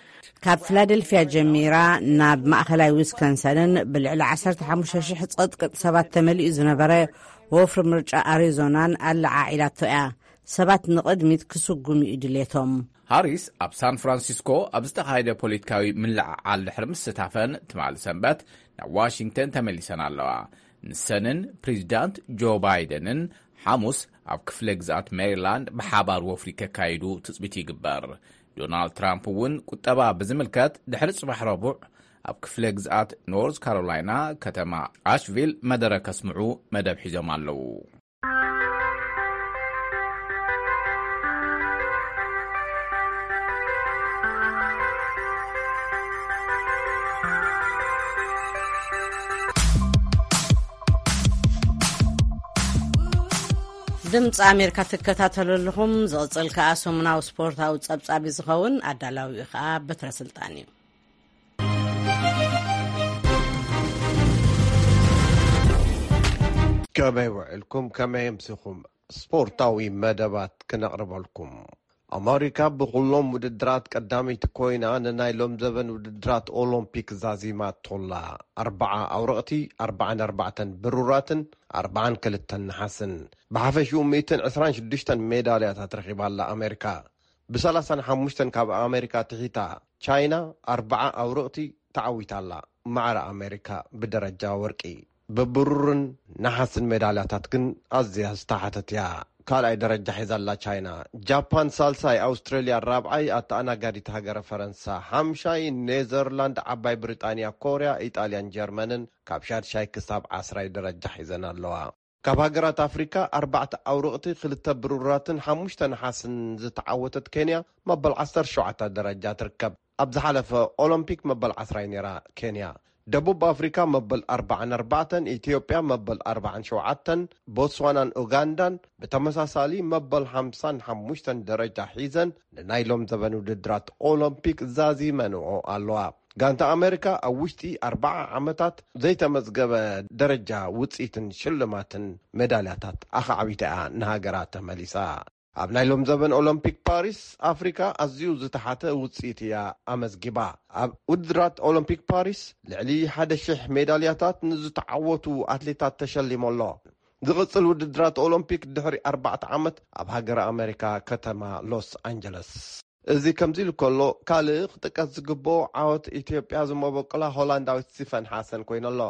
ካብ ፊላደልፊያ ጀሚራ ናብ ማእኸላይ ዊስኮንሰንን ብልዕሊ ዓሰርተ ሓሙሽተ ሽሕ ጸጥቅጥ ሰባት ተመሊኡ ዝነበረ ወፍሪ ምርጫ ኣሪዞናን ኣለዓዒላቶ እያ። ሰባት ንቕድሚት ክስጉሙ እዩ ድሌቶም። ሃሪስ ኣብ ሳን ፍራንሲስኮ ኣብ ዝተኻየደ ፖለቲካዊ ምልዕዓል ድሕሪ ምስታፈን፣ ትማሊ ሰንበት ናብ ዋሽንግተን ተመሊሰን ኣለዋ። ንሰንን ፕሬዚዳንት ጆ ባይደንን ሓሙስ ኣብ ክፍለ ግዝኣት ሜሪላንድ ብሓባር ወፍሪ ከካይዱ ትጽቢት ይግበር። ዶናልድ ትራምፕ እውን ቁጠባ ብዝምልከት ድሕሪ ጽባሕ ረቡዕ ኣብ ክፍለ ግዝኣት ኖርዝ ካሮላይና ከተማ ኣሽቪል መደረ ከስምዑ መደብ ሒዞም ኣለዉ። ድምፂ ኣሜሪካ ትከታተሉ ኣለኹም። ዝቕፅል ከኣ ሰሙናዊ ስፖርታዊ ጸብጻብ እዩ ዝኸውን። ኣዳላዊኡ ከኣ በትረ ስልጣን እዩ። ከመይ ውዕልኩም? ከመይ ኣምሲኹም? ስፖርታዊ መደባት ክነቕርበልኩም። ኣመሪካ ብኹሎም ውድድራት ቀዳመይቲ ኮይና ንናይ ሎም ዘበን ውድድራት ኦሎምፒክ ዛዚማቶላ። ኣርብዓ ኣውረቕቲ፣ ኣርባዓን ኣርባዕተን ብሩራትን ኣርባዓን ክልተን ነሓስን፣ ብሓፈሽኡ ሚእትን ዕስራን ሽዱሽተን ሜዳልያታት ረኺባላ ኣመሪካ። ብሰላሳን ሓሙሽተን ካብ ኣመሪካ ትሒታ ቻይና ኣርብዓ ኣውረቕቲ ተዓዊታላ። ማዕረ ኣመሪካ ብደረጃ ወርቂ፣ ብብሩርን ነሓስን ሜዳልያታት ግን ኣዝያ ዝተሓተት እያ። ካልኣይ ደረጃ ሒዛላ ቻይና። ጃፓን ሳልሳይ፣ ኣውስትራልያ ራብዓይ፣ ኣተኣናጋዲት ሃገረ ፈረንሳ ሓምሻይ፣ ኔዘርላንድ፣ ዓባይ ብሪጣንያ፣ ኮርያ፣ ኢጣልያን ጀርመንን ካብ ሻድሻይ ክሳብ ዓስራይ ደረጃ ሒዘን ኣለዋ። ካብ ሃገራት ኣፍሪካ ኣርባዕተ ኣውርቕቲ፣ ክልተ ብሩራትን ሓሙሽተ ነሓስን ዝተዓወተት ኬንያ መበል ዓሰርተ ሸውዓተ ደረጃ ትርከብ። ኣብ ዝሓለፈ ኦሎምፒክ መበል ዓስራይ ነይራ ኬንያ። ደቡብ ኣፍሪካ መበል ኣርባዓን ኣርባዕተን፣ ኢትዮጵያ መበል ኣርባዓን ሸውዓተን፣ ቦትስዋናን ኡጋንዳን ብተመሳሳሊ መበል ሓምሳን ሓሙሽተን ደረጃ ሒዘን ንናይ ሎም ዘበን ውድድራት ኦሎምፒክ ዛዚመንኦ ኣለዋ። ጋንታ ኣሜሪካ ኣብ ውሽጢ ኣርባዓ ዓመታት ዘይተመዝገበ ደረጃ ውፅኢትን ሽልማትን ሜዳልያታት ኣኻዕቢታ እያ ንሃገራ ተመሊሳ። ኣብ ናይ ሎም ዘበን ኦሎምፒክ ፓሪስ፣ ኣፍሪካ ኣዝዩ ዝተሓተ ውፅኢት እያ ኣመዝጊባ። ኣብ ውድድራት ኦሎምፒክ ፓሪስ ልዕሊ ሓደ ሺሕ ሜዳልያታት ንዝተዓወቱ ኣትሌታት ተሸሊሙ ኣሎ። ዝቕጽል ውድድራት ኦሎምፒክ ድሕሪ ኣርባዕተ ዓመት ኣብ ሃገረ ኣሜሪካ ከተማ ሎስ ኣንጀለስ። እዚ ከምዚ ኢሉ ከሎ፣ ካልእ ክጥቀስ ዝግብኦ ዓወት ኢትዮጵያ ዝመበቆላ ሆላንዳዊት ሲፈን ሓሰን ኮይኑ ኣሎ።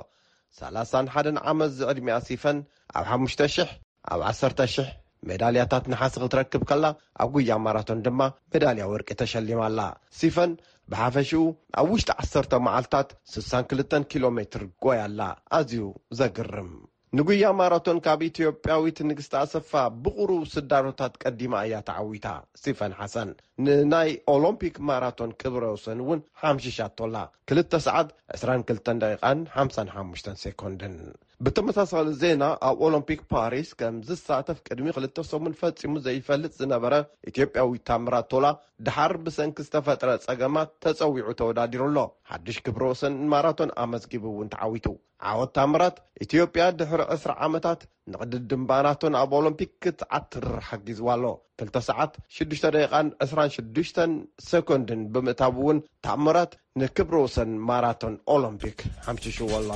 ሰላሳን ሓደን ዓመት ዝዕድሚኣ ሲፈን ኣብ ሓሙሽተ ሺሕ፣ ኣብ ዓሰርተ ሺሕ ሜዳልያታት ነሓስ ክትረክብ ከላ፣ ኣብ ጉያ ማራቶን ድማ ሜዳልያ ወርቂ ተሸሊማ ኣላ። ሲፈን ብሓፈሽኡ ኣብ ውሽጢ ዓሰርተ መዓልታት ስሳን ክልተን ኪሎ ሜትር ጎያ ኣላ። ኣዝዩ ዘግርም። ንጉያ ማራቶን ካብ ኢትዮጵያዊት ንግስቲ ኣሰፋ ብቑሩብ ስዳሮታት ቀዲማ እያ ተዓዊታ። ሲፈን ሓሰን ንናይ ኦሎምፒክ ማራቶን ክብረ ወሰን እውን ሓምሺሻቶ ኣላ። ክልተ ሰዓት ዕስራን ክልተን ደቂቓን ሓምሳን ሓሙሽተን ሴኮንድን። ብተመሳሳሊ ዜና፣ ኣብ ኦሎምፒክ ፓሪስ ከም ዝሳተፍ ቅድሚ ክልተ ሰሙን ፈጺሙ ዘይፈልጥ ዝነበረ ኢትዮጵያዊ ታምራት ቶላ፣ ድሓር ብሰንኪ ዝተፈጥረ ጸገማት ተጸዊዑ ተወዳዲሩ ኣሎ። ሓድሽ ክብረ ወሰን ማራቶን ኣመዝጊቡ እውን ተዓዊቱ። ዓወት ታምራት፣ ኢትዮጵያ ድሕሪ ዕስራ ዓመታት ንቕድድም ማራቶን ኣብ ኦሎምፒክ ክትዓትር ሓጊዝዋ ኣሎ። ክልተ ሰዓት ሽዱሽተ ደቂቓን ዕስራን ሽዱሽተን ሴኮንድን ብምእታው እውን ታምራት ንክብረ ወሰን ማራቶን ኦሎምፒክ ሓምሽሽዎ ኣሎ።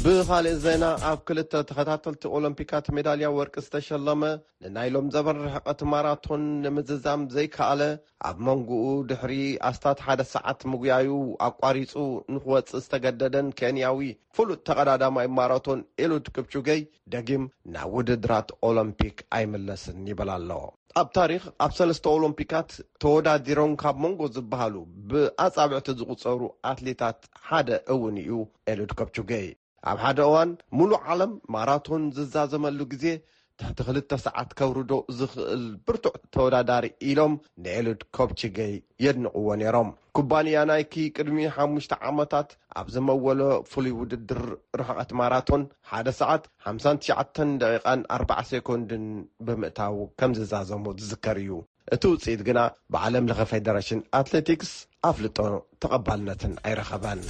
ብኻልእ ዜና፣ ኣብ ክልተ ተኸታተልቲ ኦሎምፒካት ሜዳልያ ወርቂ ዝተሸለመ፣ ንናይ ሎም ዘበን ርሕቐት ማራቶን ንምዝዛም ዘይከኣለ፣ ኣብ መንጎኡ ድሕሪ ኣስታት ሓደ ሰዓት ምጉያዩ ኣቋሪጹ ንክወጽእ ዝተገደደን ኬንያዊ ፍሉጥ ተቐዳዳማይ ማራቶን ኤሉድ ክፕቹገይ፣ ደጊም ናብ ውድድራት ኦሎምፒክ ኣይምለስን ይብል ኣሎ። ኣብ ታሪኽ፣ ኣብ ሰለስተ ኦሎምፒካት ተወዳዲሮም ካብ መንጎ ዝበሃሉ ብኣጻብዕቲ ዝቑጸሩ ኣትሌታት ሓደ እውን እዩ ኤሉድ ከፕቹጌ። ኣብ ሓደ እዋን፣ ሙሉእ ዓለም ማራቶን ዝዛዘመሉ ግዜ፣ ትሕቲ ክልተ ሰዓት ከውርዶ ዝኽእል ብርቱዕ ተወዳዳሪ ኢሎም ንኤሉድ ኮፕችገይ የድንቕዎ ነይሮም። ኩባንያ ናይኪ ቅድሚ ሓሙሽተ ዓመታት ኣብ ዝመወሎ ፍሉይ ውድድር ርሕቐት ማራቶን፣ ሓደ ሰዓት ሓምሳን ትሽዓተን ደቂቓን ኣርባዓ ሴኮንድን ብምእታው ከም ዝዛዘሞ ዝዝከር እዩ። እቲ ውጽኢት ግና ብዓለም ለኸ ፌደሬሽን ኣትሌቲክስ ኣፍልጦ ተቐባልነትን ኣይረኸበን።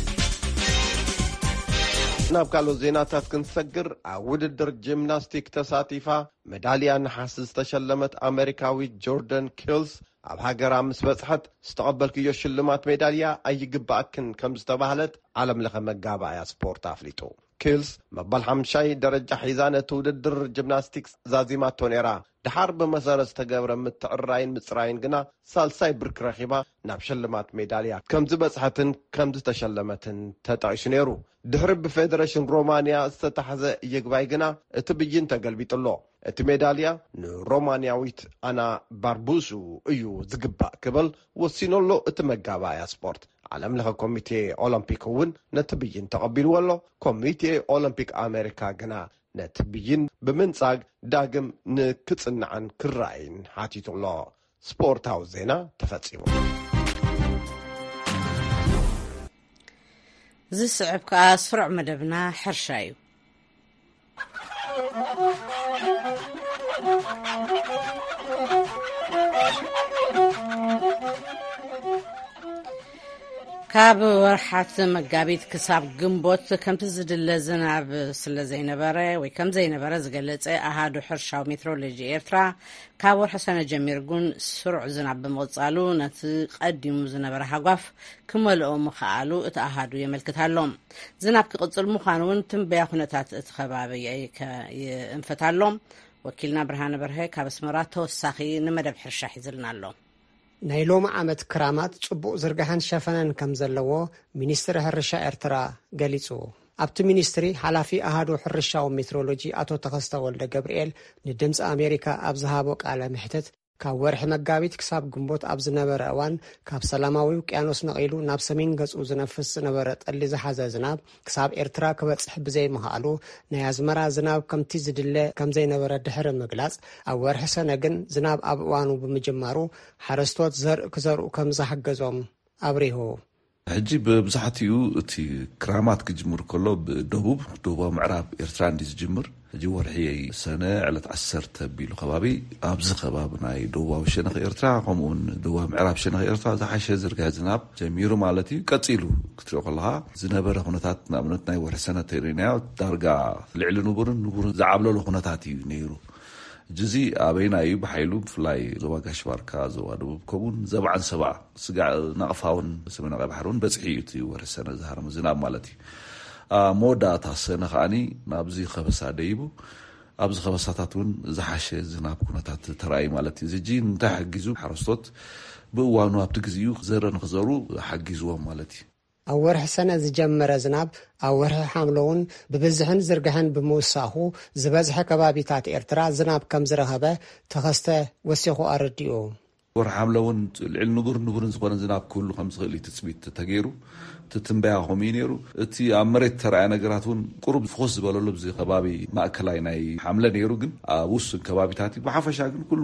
ናብ ካልኦት ዜናታት ክንሰግር፣ ኣብ ውድድር ጂምናስቲክ ተሳቲፋ መዳልያ ነሓስ ዝተሸለመት ኣሜሪካዊት ጆርደን ኪልስ፣ ኣብ ሃገራ ምስ በጽሐት፣ ዝተቐበልክዮ ሽልማት ሜዳልያ ኣይግባኣክን ከም ዝተባህለት ዓለም ለኸ መጋባእያ ስፖርት ኣፍሊጡ። ኪልስ መበል ሓምሻይ ደረጃ ሒዛ ነቲ ውድድር ጂምናስቲክስ ዛዚማቶ ነይራ። ድሓር ብመሰረት ዝተገብረ ምትዕርራይን ምጽራይን ግና ሳልሳይ ብርኪ ረኺባ ናብ ሽልማት ሜዳልያ ከም ዝበጽሐትን ከም ዝተሸለመትን ተጠቒሱ ነይሩ። ድሕሪ ብፌደሬሽን ሮማንያ ዝተታሕዘ ይግባይ ግና እቲ ብይን ተገልቢጡ ኣሎ። እቲ ሜዳልያ ንሮማንያዊት ኣና ባርቡሱ እዩ ዝግባእ ክብል ወሲኑ ኣሎ እቲ መጋባእያ ስፖርት። ዓለም ለኸ ኮሚቴ ኦሎምፒክ እውን ነቲ ብይን ተቐቢልዎ ኣሎ። ኮሚቴ ኦሎምፒክ ኣሜሪካ ግና ነቲ ብይን ብምንጻግ ዳግም ንክጽናዕን ክረኣይን ሓቲቱ ኣሎ። ስፖርታዊ ዜና ተፈጺሙ። ዝስዕብ ከኣ ስሩዕ መደብና ሕርሻ እዩ። ካብ ወርሓት መጋቢት ክሳብ ግንቦት ከምቲ ዝድለ ዝናብ ስለ ዘይነበረ ወይ ከም ዘይነበረ ዝገለጸ ኣሃዱ ሕርሻዊ ሜትሮሎጂ ኤርትራ፣ ካብ ወርሒ ሰነ ጀሚሩ ግን ስሩዕ ዝናብ ብምቕጻሉ ነቲ ቀዲሙ ዝነበረ ሃጓፍ ክመልኦ ምኽኣሉ እቲ ኣሃዱ የመልክት ኣሎ። ዝናብ ክቕጽል ምዃኑ እውን ትንበያ ኩነታት እቲ ከባቢ ይእንፍት ኣሎ። ወኪልና ብርሃነ በርሀ ካብ ኣስመራ ተወሳኺ ንመደብ ሕርሻ ሒዝልና ኣሎ። ናይ ሎሚ ዓመት ክራማት ጽቡቕ ዝርጋሐን ሸፈነን ከም ዘለዎ ሚኒስትሪ ሕርሻ ኤርትራ ገሊጹ። ኣብቲ ሚኒስትሪ ሓላፊ ኣሃዱ ሕርሻዊ ሜትሮሎጂ ኣቶ ተኸስተ ወልደ ገብርኤል ንድምጺ ኣሜሪካ ኣብ ዝሃቦ ቃለ መሕትት፣ ካብ ወርሒ መጋቢት ክሳብ ግንቦት ኣብ ዝነበረ እዋን፣ ካብ ሰላማዊ ውቅያኖስ ነቒሉ ናብ ሰሜን ገጹ ዝነፍስ ዝነበረ ጠሊ ዝሓዘ ዝናብ ክሳብ ኤርትራ ክበጽሕ ብዘይምኽኣሉ፣ ናይ ኣዝመራ ዝናብ ከምቲ ዝድለ ከም ዘይነበረ ድሕሪ ምግላጽ፣ ኣብ ወርሒ ሰነ ግን ዝናብ ኣብ እዋኑ ብምጅማሩ፣ ሓረስቶት ዘርኢ ክዘርኡ ከም ዝሓገዞም ኣብሪሁ። ሕጂ ብብዛሕትኡ እቲ ክራማት ክጅምር ከሎ ብደቡብ፣ ደቡባዊ ምዕራብ ኤርትራ እንዲ ዝጅምር። ሕጂ ወርሒ ሰነ ዕለት ዓሰርተ ቢሉ ከባቢ ኣብዚ ከባቢ ናይ ደቡባዊ ሸነኽ ኤርትራ፣ ከምኡውን ደቡባዊ ምዕራብ ሸነኽ ኤርትራ ዝሓሸ ዝርግሐ ዝናብ ጀሚሩ ማለት እዩ። ቀጺሉ ክትሪኦ ከለኻ ዝነበረ ኩነታት፣ ንኣብነት ናይ ወርሒ ሰነ ተሪእናዮ፣ ዳርጋ ልዕሊ ንቡርን ንቡርን ዝዓብለሎ ኩነታት እዩ ነይሩ። ሕጂ እዚ ኣበይና እዩ ብሓይሉ? ብፍላይ ዞባ ጋሽ ባርካ፣ ዞባ ደቡብ፣ ከምኡውን ዘባዕን ሰባ ስጋዕ ናቕፋ እውን ሰሜናዊ ቀይ ባሕሪ እውን በጽሒ እዩ እቲ ወርሒ ሰነ ዝሃረመ ዝናብ ማለት እዩ። ኣብ መወዳእታ ሰነ ከዓኒ ናብዚ ከበሳ ደይቡ፣ ኣብዚ ከበሳታት እውን ዝሓሸ ዝናብ ኩነታት ተራእዩ ማለት እዩ። እዚ ሕጂ እንታይ ሓጊዙ? ሓረስቶት ብእዋኑ ኣብቲ ግዜኡ ዘርኢ ንክዘሩ ሓጊዝዎም ማለት እዩ። ኣብ ወርሒ ሰነ ዝጀመረ ዝናብ ኣብ ወርሒ ሓምለ እውን ብብዝሕን ዝርግሐን ብምውሳኹ፣ ዝበዝሐ ከባቢታት ኤርትራ ዝናብ ከም ዝረኸበ ተኸስተ ወሲኹ ኣረዲኡ። ወርሒ ሓምለ እውን ልዕሊ ንቡር ንቡርን ዝኾነ ዝናብ ክህሉ ከም ዝኽእል እዩ ትጽቢት ተገይሩ። እቲ ትንበያ ከምኡ እዩ ነይሩ። እቲ ኣብ መሬት ተረኣየ ነገራት እውን ቁሩብ ፍኹስ ዝበለሉ ኣብዚ ከባቢ ማእከላይ ናይ ሓምለ ነይሩ፣ ግን ኣብ ውሱን ከባቢታት እዩ። ብሓፈሻ ግን ኩሉ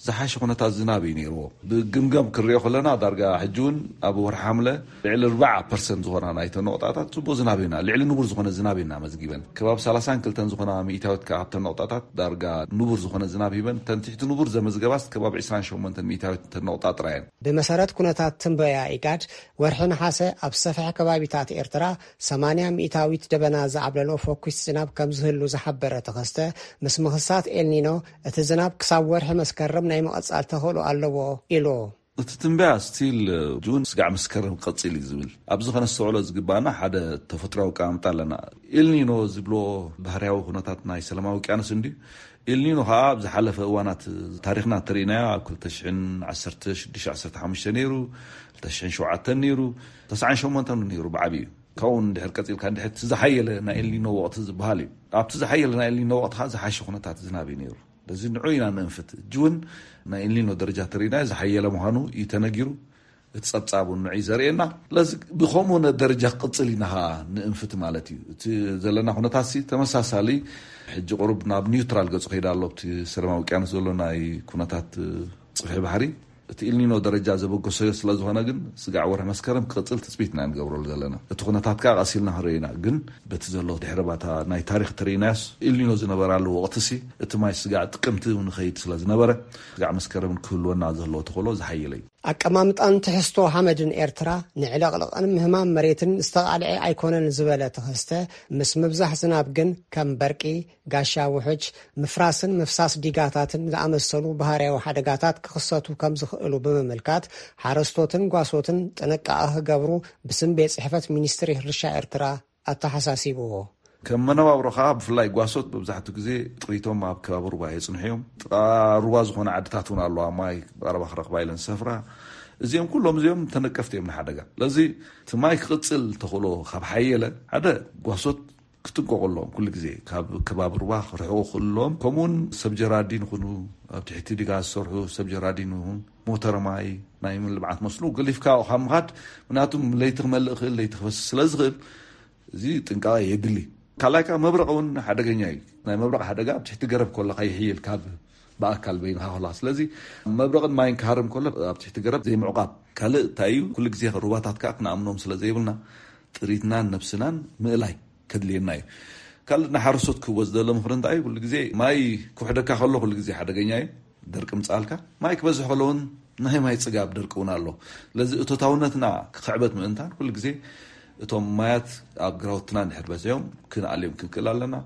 ዝሓሸ ኩነታት ዝናብ እዩ ነይርዎ። ብግምገም ክንሪኦ ከለና፣ ዳርጋ ሕጂ እውን ኣብ ወርሒ ሓምለ ልዕሊ ኣርባዓ ፐርሰንት ዝኾና ናይተን ነቑጣታት ጽቡቕ ዝናብ ኢና፣ ልዕሊ ንቡር ዝኾነ ዝናብ ኢና መዝጊበን። ከባቢ ሰላሳን ክልተን ዝኾና ሚእታዊት ከኣ ኣብተን ነቑጣታት ዳርጋ ንቡር ዝኾነ ዝናብ ሂበን። እተን ትሕቲ ንቡር ዘመዝገባስ ከባቢ ዕስራን ሸሞንተን ሚእታዊት እተን ነቑጣ ጥራይ እየን። ብመሰረት ኩነታት ትንበያ ኢጋድ፣ ወርሒ ነሓሰ ኣብ ሰፍሐ ከባቢታት ኤርትራ ሰማንያ ሚእታዊት ደበና ዝዓብለሎ ፈኲስ ዝናብ ከም ዝህሉ ዝሓበረ ተኸስተ፣ ምስ ምኽሳት ኤልኒኖ እቲ ዝናብ ክሳብ ወርሒ መስከረም ናይ ምቕጻል ተኽእሎ ኣለዎ ኢሉ። እቲ ትንበያ ስቲል ጁን ስጋዕ መስከረም ክቐጽል እዩ ዝብል። ኣብዚ ከነስተውዕሎ ዝግባና ሓደ ተፈጥሮኣዊ ኣቀማምጣ ኣለና። ኤልኒኖ ዝብሎ ባህርያዊ ኩነታት ናይ ሰላማዊ ውቅያኖስ እንድዩ። ኤልኒኖ ከኣ ኣብ ዝሓለፈ እዋናት ታሪኽና እንተሪእናዮ፣ ኣብ ክልተ ሽሕን ዓሰርተ ሽዱሽተ ዓሰርተ ሓሙሽተ ነይሩ፣ ክልተ ሽሕን ሸውዓተን ነይሩ፣ ተስዓን ሸሞንተን ነይሩ ብዓቢኡ። ካብኡ እንድሕር ቀጺልካ እንድሕር እቲ ዝሓየለ ናይ ኤልኒኖ ወቕቲ ዝበሃል እዩ። ኣብቲ ዝሓየለ ናይ ኤልኒኖ ወቕቲ ከኣ ዝሓሸ ኩነታት ዝናብ እዩ ነይሩ። በዚ ንዑ ኢና ንእንፍት። ሕጂ እውን ናይ ኤልኒኖ ደረጃ ተሪእናዮ ዝሓየለ ምዃኑ እዩ ተነጊሩ። እቲ ጸብጻብ እውን ንዑ እዩ ዘርእየና። ስለዚ ብኸምኡ ነ ደረጃ ክቕጽል ኢና ኸኣ ንእንፍት ማለት እዩ። እቲ ዘለና ኩነታት ሲ ተመሳሳሊ፣ ሕጂ ቁሩብ ናብ ኒውትራል ገጹ ከይዳ ኣሎ፣ ኣብቲ ሰላማዊ ውቅያኖስ ዘሎ ናይ ኩነታት ጽፍሒ ባሕሪ። እቲ ኢልኒኖ ደረጃ ዘበገሰዮ ስለ ዝኾነ ግን ስጋዕ ወርሒ መስከረም ክቕጽል ትጽቢት ኢና ንገብረሉ ዘለና። እቲ ኩነታት ከኣ ቀስ ኢልና ክንርኢ ኢና። ግን በቲ ዘሎ ድሕረ ባታ ናይ ታሪኽ ተርኢናዮስ፣ ኢልኒኖ ዝነበራሉ ወቕቲ ሲ እቲ ማይ ስጋዕ ጥቅምቲ እውን ንኸይድ ስለ ዝነበረ፣ ስጋዕ መስከረም ክህልወና ዘለዎ ተኽእሎ ዝሓየለ እዩ። ኣቀማምጣን ትሕዝቶ ሓመድን ኤርትራ ንዕለቕለቕን ምህማም መሬትን ዝተቓልዐ ኣይኮነን ዝበለ ተኸስተ፣ ምስ ምብዛሕ ዝናብ ግን ከም በርቂ፣ ጋሻ ውሕጅ፣ ምፍራስን ምፍሳስ ዲጋታትን ዝኣመሰሉ ባህርያዊ ሓደጋታት ክኽሰቱ ከም ዝኽእሉ ብምምልካት፣ ሓረስቶትን ጓሶትን ጥንቃቐ ክገብሩ ብስም ቤት ጽሕፈት ሚኒስትሪ ሕርሻ ኤርትራ ኣተሓሳሲብዎ። ከም መነባብሮ ከኣ ብፍላይ ጓሶት መብዛሕትኡ ግዜ ጥሪቶም ኣብ ከባቢ ሩባ የጽንሑ እዮም። ጥቓ ሩባ ዝኾነ ዓድታት እውን ኣለዋ፣ ማይ ቀረባ ክረኽባ ኢለን ዝሰፍራ። እዚኦም ኩሎም እዚኦም ተነቀፍቲ እዮም ንሓደጋ። ስለዚ እቲ ማይ ክቕጽል ተኽእሎ ካብ ሓየለ፣ ሓደ ጓሶት ክጥንቀቑ ኣለዎም። ኩሉ ግዜ ካብ ከባቢ ሩባ ክርሕቑ ክኽእሉ ኣለዎም። ከምኡውን ሰብ ጀራዲን ይኹኑ፣ ኣብ ትሕቲ ዲጋ ዝሰርሑ ሰብ ጀራዲን ይኹን፣ ሞተር ማይ፣ ናይ ልምዓት መስኖ ገሊፍካ ካብ ምኻድ፣ ምክንያቱ ለይቲ ክመልእ ይኽእል፣ ለይቲ ክፈስስ ስለ ዝኽእል፣ እዚ ጥንቃቐ የድሊ። ካልኣይ ከኣ መብረቕ እውን ሓደገኛ እዩ። ናይ መብረቕ ሓደጋ ኣብ ትሕቲ ገረብ ከለኻ ይሕይል ካብ ብኣካል በይንኻ ከለኻ። ስለዚ መብረቕን ማይን ክሃርም ከሎ ኣብ ትሕቲ ገረብ ዘይምዕቋብ። ካልእ እንታይ እዩ፣ ኩሉ ግዜ ሩባታት ከኣ ክንኣምኖም ስለ ዘይብልና፣ ጥሪትናን ነብስናን ምእላይ ከድልየና እዩ። ካልእ ንሓረስቶት ክህቦ ዝደለ ምኽሪ እንታይ እዩ፣ ኩሉ ግዜ ማይ ክውሕደካ ከሎ ኩሉ ግዜ ሓደገኛ እዩ፣ ደርቂ ምጻልካ። ማይ ክበዝሕ ከሎ እውን ናይ ማይ ጽጋብ ደርቂ እውን ኣሎ። ስለዚ እቶታውነትና ክኽዕበት ምእንታን ኩሉ ግዜ እቶም ማያት ኣብ ግራውትና እንድሕር በዚሖም ክንኣልዮም ክንክእል ኣለና።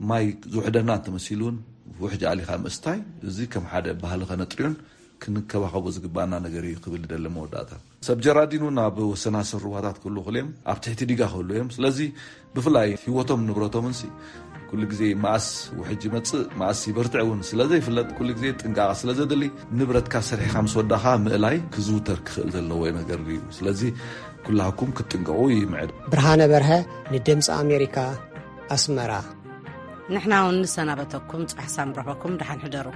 ማይ ዝውሕደና እንተመሲሉ እውን ውሕጅ ኣሊኻ ምስታይ፣ እዚ ከም ሓደ ባህሊ ከነጥርዮን ክንከባኸቦ ዝግባኣና ነገር እዩ ክብል ይደሊ መወዳእታ። ሰብ ጀራዲን እውን ኣብ ወሰናስን ሩባታት ክህሉ ይኽእሉ እዮም፣ ኣብ ትሕቲ ዲጋ ክህሉ እዮም። ስለዚ ብፍላይ ህይወቶም ንብረቶምን ሲ ኩሉ ግዜ መኣስ ውሕጅ ይመጽእ፣ መኣስ ይበርትዕ እውን ስለ ዘይፍለጥ፣ ኩሉ ግዜ ጥንቃቐ ስለ ዘድሊ፣ ንብረትካ ሰሪሕኻ ምስ ወዳኻ ምእላይ ክዝውተር ክኽእል ዘለዎ ነገር እዩ። ስለዚ ኩላህኩም ክትጥንቀቑ ይምዕድ። ብርሃነ በርሀ፣ ንድምፂ ኣሜሪካ፣ ኣስመራ። ንሕና እውን ንሰናበተኩም፣ ጽባሕ ሳም ረኸኩም፣ ደሓን ሕደሩ።